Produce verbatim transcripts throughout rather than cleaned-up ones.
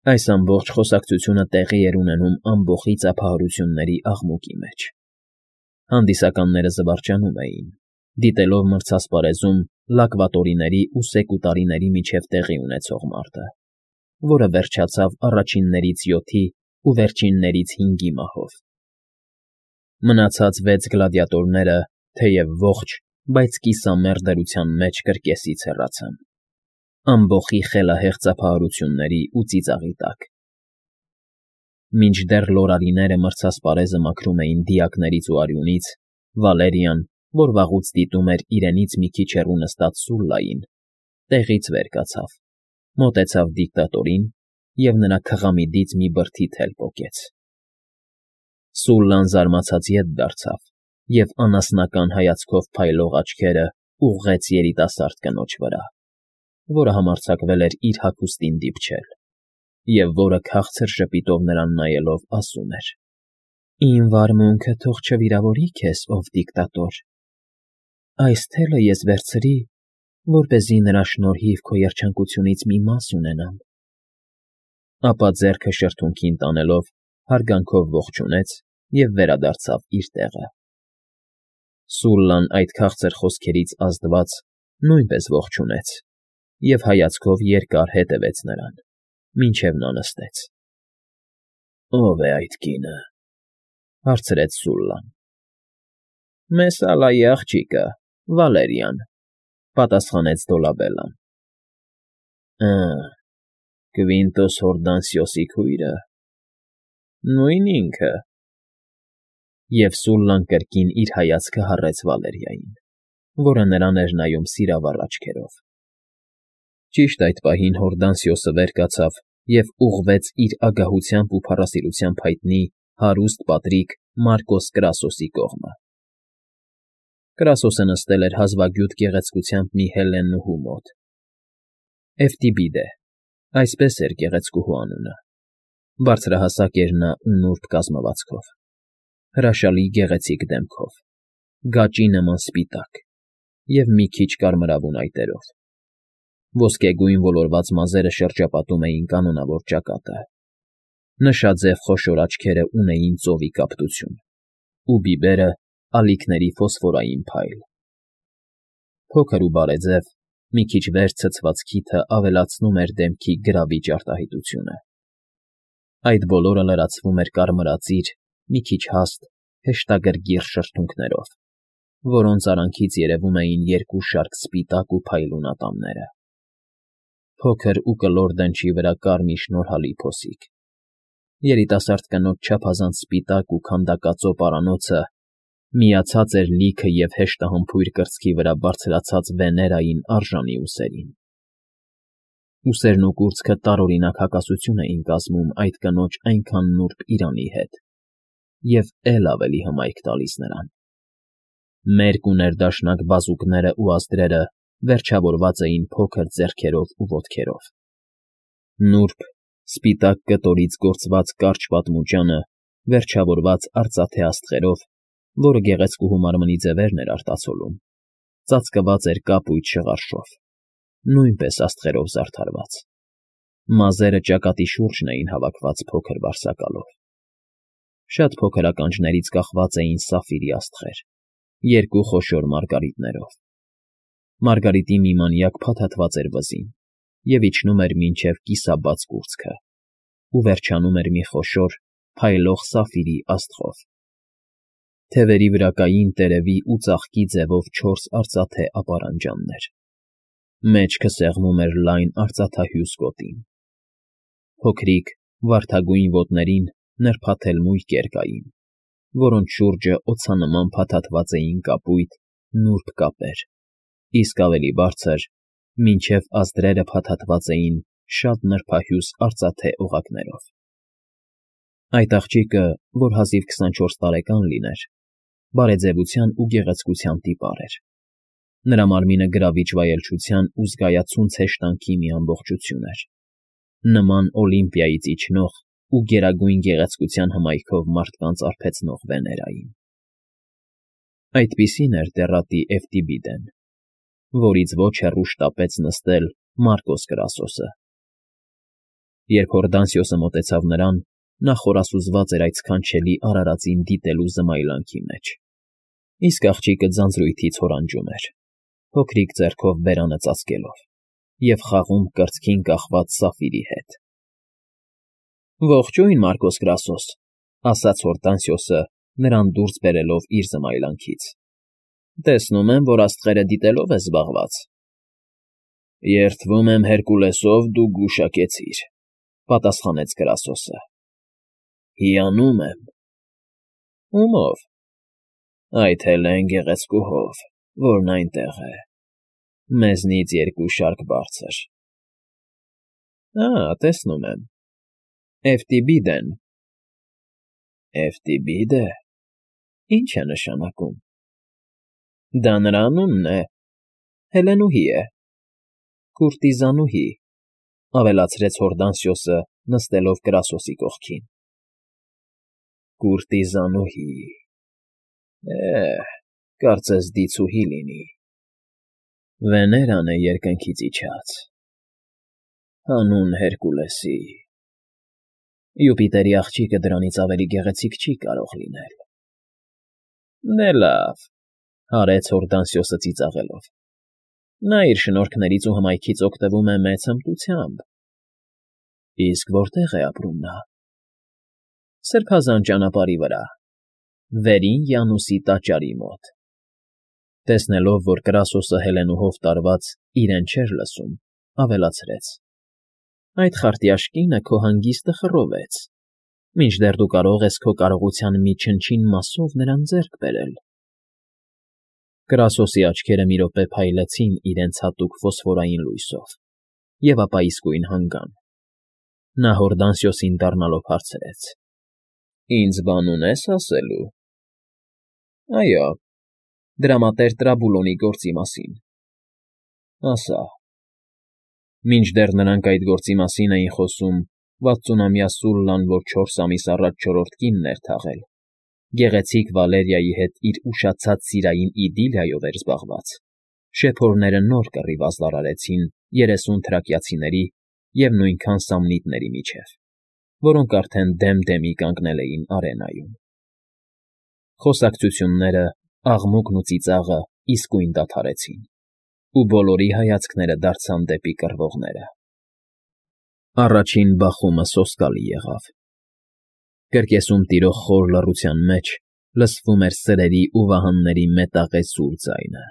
Այս ամբողջ խոսակցությունը տեղի էր ունենում ամբոխի ծափահարությունների աղմուկի մեջ. հանդիսականները զվարճանում էին, դիտելով մրցասպարեզում լակվատորիների ու սեկուտարիների միջև տեղի ունեցող մարտը, որը վերջացավ առաջիններից յոթի ու վերջիններից հինգի մահով. մնացած վեց գլադիատորները, թեև ողջ, բայց կիսամեռ դրության մեջ կրկեսից հեռացան, ամբոխի խելահեղ ծափահարությունների ու ծիծաղի տակ։ Մինչդեռ լորարիները մրցասպարեզը մաքրում էին դիակներից ու արյունից, Վալերիան, որ վաղուց դիտում էր իրենից մի քիչ հեռու նստած Սուլլային, տեղից վեր կացավ, մոտեցավ դիկտատորին և նրա քղամիդից մի բրդի թել պոկեց։ Սուլլան զարմացած ետ դարձավ և անասնական հայացքով փայլող աչքերը ուղղեց երիտասարդ կնոջ վրա, որը համարձակվել էր իր հագուստին դիպչել, և որը քաղցր ժպիտով նրան նայելով ասում էր. «Իմ վարմունքը թող չվիրավորի քեզ, ով դիկտատոր, այս թելը ես վերցրի, որպեսզի նրա շնորհիվ քո երջանկությունից մի մաս ունենամ»։ Ապա ձեռքը շրթունքին տանելով հարգանքով ողջունեց և վերադարձավ իր տեղը։ Սուլլան այդ քաղցր խոսքերից ազդված նույնպես ողջունեց և հայացքով երկար հետևեց նրան, մինչև նա նստեց։ «Ո՞վ է այդ կինը,֊ հարցրեց Սուլլան։ «Մեսալայի աղջիկը, Վալերիան,֊ պատասխանեց Դոլաբելլան։ «Ա՜, Կվինտոս Հորդանսիոսի քույրը… նույն ինքը…»։ Եվ Սուլլան կրկին իր հայացքը հառեց Վալերիային, որը նրան էր նայում սիրավառ աչքերով։ Ճիշտ այդ պահին Հորդանսիոսը վեր կացավ և ուղղվեց իր ագահությամբ ու փառասիրությամբ հայտնի հարուստ պատրիկ Մարկոս Կրասոսի կողմը։ Կրասոսը նստել էր հազվագյուտ գեղեցկությամբ մի հելլենուհու մոտ. Էվտիբիդե, այսպես էր գեղեցկուհու անունը, բարձրահասակ էր նա ու նուրբ կազմվածքով, հրաշալի գեղեցիկ դեմքով, գաճի նման սպիտակ և մի քիչ կարմրավուն այտերով, ոսկեգույն ոլորված մազերը շրջապատում էին կանոնավոր ճակատը, նշաձև խոշոր աչքերը ունեին ծովի կապտություն, ու բիբերը ալիքների ֆոսֆորային փայլ։ Փոքր ու բարեձև, մի քիչ վեր ցցված քիթը ավելացնում էր դեմքի գրավիչ արտահայտությունը։ Այդ բոլորը լրացվում էր կարմրածիր, մի քիչ հաստ, հեշտագրգիռ շրթունքներով, որոնց արանքից երևում էին երկու շարք սպիտակ ու փայլուն ատամները, փոքր ու կլոր դնչի վրա կարմիր շնորհալի փոսիկ։ Երիտասարդ կնոջ չափազանց սպիտակ ու քանդակածո պարանոցը միացած էր լիքը և հեշտահամբույր կրծքի վրա բարձրացած Վեներային արժանի ուսերին։ Ուսերն ու կուրծքը տարօրինակ հակասություն էին կազմում այդ կնոջ այնքան նուրբ իրանի հետ և էլ ավելի հմայք տալիս նրան։ Մերկ ու ներդաշնակ բազուկներն ու ազդրերը վերջավորված էին փոքր ձեռքերով ու ոտքերով։ Նուրբ, սպիտակ կտորից գործված կարճ պատմուճանը վերջավորված արծաթե աստղերով, որը գեղեցկուհու մարմնի ձևերն էր արտացոլում, ծածկված էր կապույտ շղարշով, նույնպես աստղերով զարդարված։ Մազերը ճակատի շուրջն էին հավաքված փոքր վարսակալով։ Շատ փոքր ականջներից կախված էին սափիրի աստղեր, երկու խոշոր մարգարիտներով։ Մարգարիտի մի մանյակ փաթաթված էր վզին և իջնում էր մինչև կիսաբաց կուրծքը ու վերջանում էր մի խոշոր, փայլող սափիրի աստղով։ Թևերի վրա կային տերևի ու ծաղկի ձևով չորս արծաթե ապարանջաններ։ Մեջքը սեղմում էր լայն արծաթահյուս գոտին։ Փոքրիկ, վարդագույն ոտներին նրբաթել մույկեր կային, որոնց շուրջը օձանման փաթաթված էին կապույտ, նուրբ կապեր, իսկ ավելի բարձր, մինչև ազդրերը փաթաթված էին շատ նրբահյուս արծաթե օղակներով։ Այդ աղջիկը, որ հազիվ քսանչորս տարեկան լիներ, բարեձևության ու գեղեցկության տիպար էր։ Նրա մարմինը գրավիչ վայելչության ու զգայացունց հեշտանքի մի ամբողջություն էր, նման Օլիմպիայից իջնող ու գերագույն գեղեցկության հմայքով մարդկանց արբեցնող Վեներային։ Այդպիսին էր դեռատի Էվտիբիդեն, որից ոչ հեռու շտապեց նստել Մարկոս Կրասոսը։ Երբ Հորդանսիոսը մոտեցավ նրան, նա խորասուզված էր այդ սքանչելի արարածին դիտելու զմայլանքի մեջ, իսկ աղջիկը ձանձրույթից հորանջում էր, փոքրիկ ձեռքով բերանը ծածկելով և խաղում կրծքին կախված Սաֆիրի հետ։ ֊ Ողջույն, Մարկոս Կրասոս,֊ ասաց Հորդանսիոսը, նրան դուրս բերելով իր զմայլանքից։ ֊ Տեսնում եմ, որ աստղերը դիտելով ես զբաղված։ ֊ Երդվում եմ Հերկուլեսով դու գուշակեցիր,֊ պատասխանեց Կրասոսը։ ֊ Հիանում եմ։ ֊ Ումո՞վ։ ֊ Այդ Հելեն գեղեցկուհով, որն այնտեղ է, մեզնից երկու շարք բարձր։ ֊ Ա, տեսնում եմ, Էվտիբիդեն։ ֊ Էվտիբիդե՞, ի՞նչ է նշանակում։ ֊ Դա նրա անունն է, Հելենուհի է, կուրտիզանուհի,֊ ավելացրեց Հորդանսիոսը, նստելով Կրասոսի կողքին։ ֊ Կուրտիզանուհի… Է՜հ, կարծես դիցուհի լինի… Վեներան է երկնքից իջած… Հանուն Հերկուլեսի… Յուպիտերի աղջիկը դրանից ավելի գեղեցիկ չի կարող լինել։ ֊ Դե լավ,֊ հարեց Հորդանսիոսը ծիծաղելով,֊ նա իր շնորհքներից ու հմայքից օգտվում է մեծ հմտությամբ։ ֊ Իսկ որտե՞ղ է ապրում նա։ ֊ Սրբազան ճանապարհի վրա, Վերին Յանուսի տաճարի մոտ։ Տեսնելով, որ Կրասոսը Հելենուհով տարված իրեն չէր լսում, ավելացրեց. ֊ Այդ խարտյաշկինը քո հանգիստը խռովեց, մինչդեռ դու կարող ես քո կարողության մի չնչին մասով նրան ձեռք բերել։ Կրասոսի աչքերը մի րոպե փայլեցին իրենց հատուկ ֆոսֆորային լույսով և ապա իսկույն հանգան։ Նա Հորդանսիոսին դառնալով հարցրեց. ֊ Ինձ բան ունե՞ս ասելու։ ֊ Այո, դրամատեր Տրաբուլոնի գործի մասին։ ֊ Ասա։ Մինչդեռ նրանք այդ գործի մասին էին խոսում, վաթսունամյա Սուլլան, որ չորս ամիս առաջ չորրորդ կինն էր թաղել, գեղեցիկ Վալերիայի հետ իր ուշացած սիրային իդիլիայով էր զբաղված, շեփորները նոր կռիվ ազդարարեցին երեսուն թրակիացիների և նույնքան սամնիտների միջև, որոնք արդեն դեմ դեմի կանգնել էին արենայում։ Խոսակցությունները, աղմուկն ու ծիծաղը իսկույն դադարեցին, ու բոլորի հայացքները դարձան դեպի կռվողները։ Առաջին բախումը սոսկալի եղավ։ Կրկեսում տիրող խոր լռության մեջ լսվում էր սրերի ու վահանների մետաղեցուր ձայնը։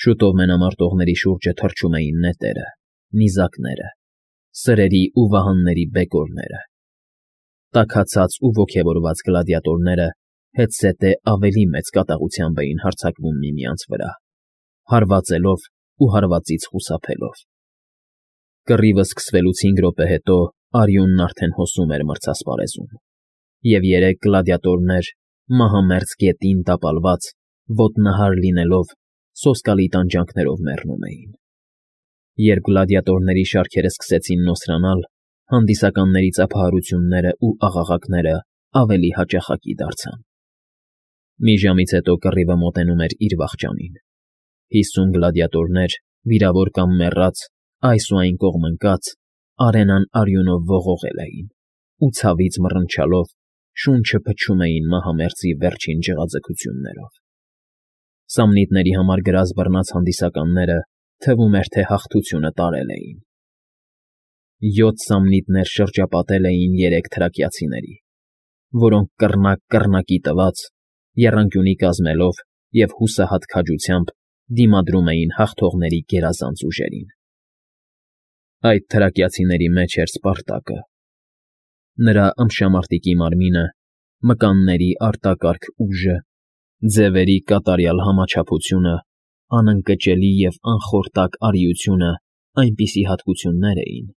Շուտով մենամարտողների շուրջը թռչում էին նետերը, նիզակները, սրերի ու վահանների բեկորները։ Տաքացած ու ոգևորված գլադիատորները հետզհետե ավելի մեծ կատաղությամբ էին հարձակվում միմյանց վրա, հարվածելով ու հարվածից խուսափելով։ Կռիվը սկսվելուց հինգ րոպե հետո արյունն արդեն հոսում էր մրցասպարեզում, և երեք գլադիատորներ, մահամերձ գետին տապալված, ոտնահար լինելով, սոսկալի տանջանքներով մեռնում էին։ Երբ գլադիատորների շարքերը սկսեցին նոսրանալ, հանդիսականների ծափահարությունները ու աղաղակները ավելի հաճախակի դարձան։ Մի ժամից հետո կռիվը մոտենում էր իր վախճանին։ Հիսուն գլադիատորներ, վիրավոր կամ մեռած, այս ու այն կողմ ընկած, արենան արյունով ողողել էին ու ցավից մռնչալով շունչը փչում էին մահամերձի վերջին ջղաձգություններով։ Սամնիտների համար գրած բռնած հանդիսականները թվում էր, թե հաղթությունը տարել էին։ Յոթ սամնիտներ շրջապատել էին երեք թրակիացիների, որոնք կռնակ կռնակի տված, եռանկյունի կազմելով և հուսահատ քաջությամբ դիմադրում էին հաղթողների գերազանց ուժերին։ Այդ թրակիացիների մեջ էր Սպարտակը։ Նրա ըմբշամարտիկի մարմինը, մկանների արտակարգ ուժը, ձևերի կատարյալ համաչափությունը, անընկճելի և անխորտակ արիությունը այնպիսի հատկություններ էին,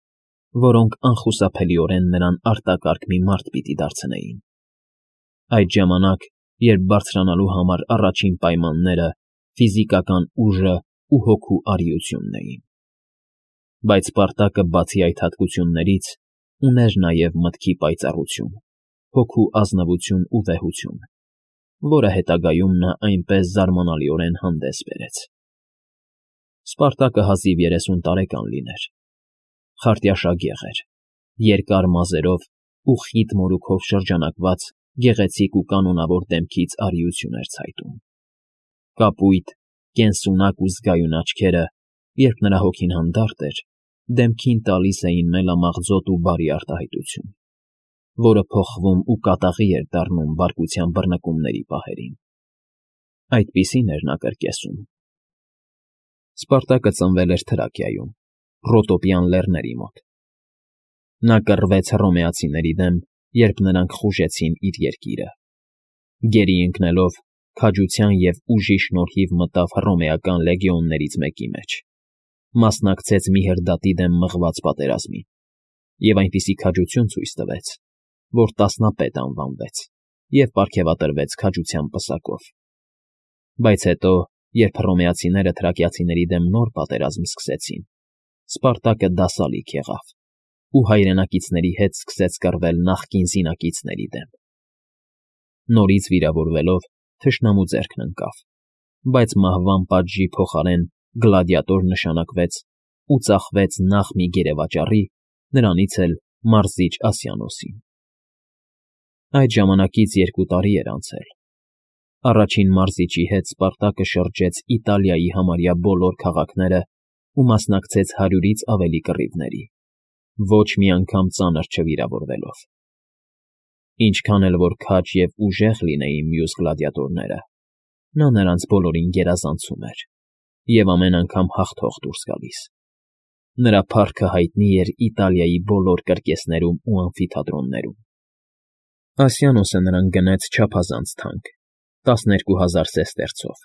որոնք անխուսափելիորեն նրան արտակարգ մի մարդ պիտի դարձնեին։ Այդ ժամանակ, երբ բարձրանալու համար առաջին պայմանները ֆիզիկական ուժը ու հոգու արիությունն էին։ Բայց Սպարտակը, բացի այդ հատկություններից, ուներ նաև մտքի պայծառություն, հոգու ազնվություն ու վեհություն, որը հետագայում նա այնպես զարմանալիորեն հանդես բերեց։ Սպարտակը հազիվ երեսուն տարեկան լիներ, խարտյաշագեղ էր, երկար մազերով ու խիտ մորուքով շրջանակված գեղեցիկ ու կանոնավոր դեմքից արիություն էր ցայտում։ Կապույտ, կենսունակ ու զգայուն աչքերը, երբ նրա հոգին հանդարտ էր, դեմքին տալիս էին մելամաղձոտ ու բարի արտահայտություն, որը փոխվում ու կատաղի էր դառնում բարկության բռնկումների պահերին։ Այդպիսին էր նա կրկեսում։ Սպարտակը ծնվել էր Թրակիայում, Ռոտոպյան լեռների մոտ։ Նա կռվեց հռոմեացիների դեմ, երբ նրանք խուժեցին իր երկիրը։ Գերի ընկնելով, քաջության և ուժի շնորհիվ մտավ հռոմեական լեգիոններից մեկի մեջ, մասնակցեց Միհրդատի դեմ մղված պատերազմին և այնպիսի քաջություն ցույց տվեց, որ տասնապետ անվանվեց և պարգևատրվեց քաջության պսակով։ Բայց հետո, երբ հռոմեացիները թրակիացիների դեմ նոր պատերազմ սկսեցին, Սպարտակը դասալիկ եղավ ու հայրենակիցների հետ սկսեց կռվել նախկին զինակիցների դեմ։ Նորից վիրավորվելով, թշնամու ձեռքն ընկավ, բայց մահվան պատժի փոխարեն գլադիատոր նշանակվեց ու ծախվեց նախ մի գերեվաճառի, նրանից էլ Մարզիչ Ասիանոսին։ Այդ ժամանակից երկու տարի էր անցել։ Առաջին Մարզիչի հետ Սպարտակը շրջեց Իտալիայի համարյա բոլոր քաղաքները ու մասնակցեց հարյուրից ավելի կռիվների, ոչ մի անգամ ծանր չվիրավորվելով։ Ինչքան էլ որ քաջ և ուժեղ լինեին մյուս գլադիատորները, նա նրանց բոլորին գերազանցում էր և ամեն անգամ հաղթող դուրս գալիս։ Նրա փառքը հայտնի էր Իտալիայի բոլոր կրկեսներում ու ամֆիթատրոններում։ Ասիանոսը նրան գնեց չափազանց թանկ՝ տասներկու հազար սեստերցով,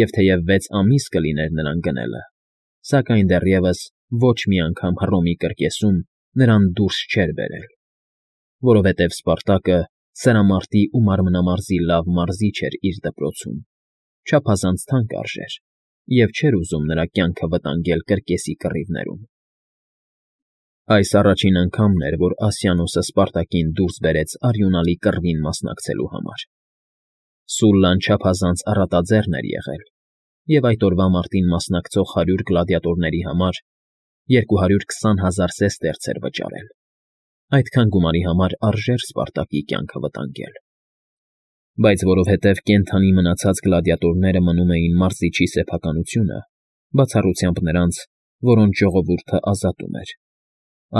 և թեև վեց ամիս կլիներ նրան գնելը, սակայն դեռևս ոչ մի անգամ Հռոմի կրկեսում նրան դուրս չէր բերել, որովհետև Սպարտակը սրամարտի ու մարմնամարզի լավ մարզիչ էր իր դպրոցում, չափազանց թանկ արժեր և չէր ուզում նրա կյանքը վտանգել կրկեսի կռիվներում։ Այս առաջին անգամն էր, որ Ասիանոսը Սպարտակին դուրս բերեց արյունալի կռվին մասնակցելու համար։ Սուլլան չափազանց առատաձեռն էր եղել և այդ օրվա մարտին մասնակցող հարյուր գլադիատորների համար երկու հարյուր քսան հազար սեստերց էր վճարել։ Այդքան գումարի համար արժեր Սպարտակի կյանքը վտանգել։ Բայց որովհետև կենդանի մնացած գլադիատորները մնում էին Մարզիչի սեփականությունը, բացառությամբ նրանց, որոնց ժողովուրդը ազատում էր,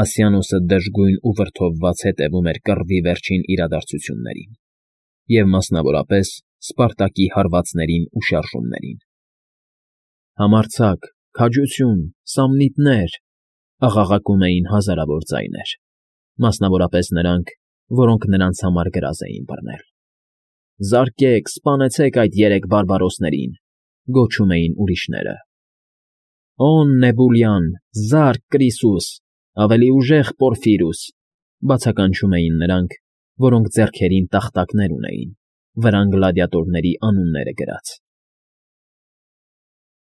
Ասիանոսը դժգույն ու վրդովված հետևում էր կռվի վերջին իրադարձություններին և մասնավորապես Սպարտակի հարվածներին ու շարժումներին։ «Համարձակ, քաջություն, սամնիտներ», աղաղակում էին հազարավոր ձայներ, մասնավորապես նրանք, որոնք նրանց համար գրազ էին բռնել։ «Զարկեք, սպանեցեք այդ երեք բարբարոսներին», գոչում էին ուրիշները։ «Օն Նեբուլյան, զա՛րկ Կրիսուս, ավելի ուժեղ Պորֆիրուս», բացականչում էին նրանք, որոնք ձեռքերին տախտակներ ունեին, վրան գլադիատորների անունները գրած։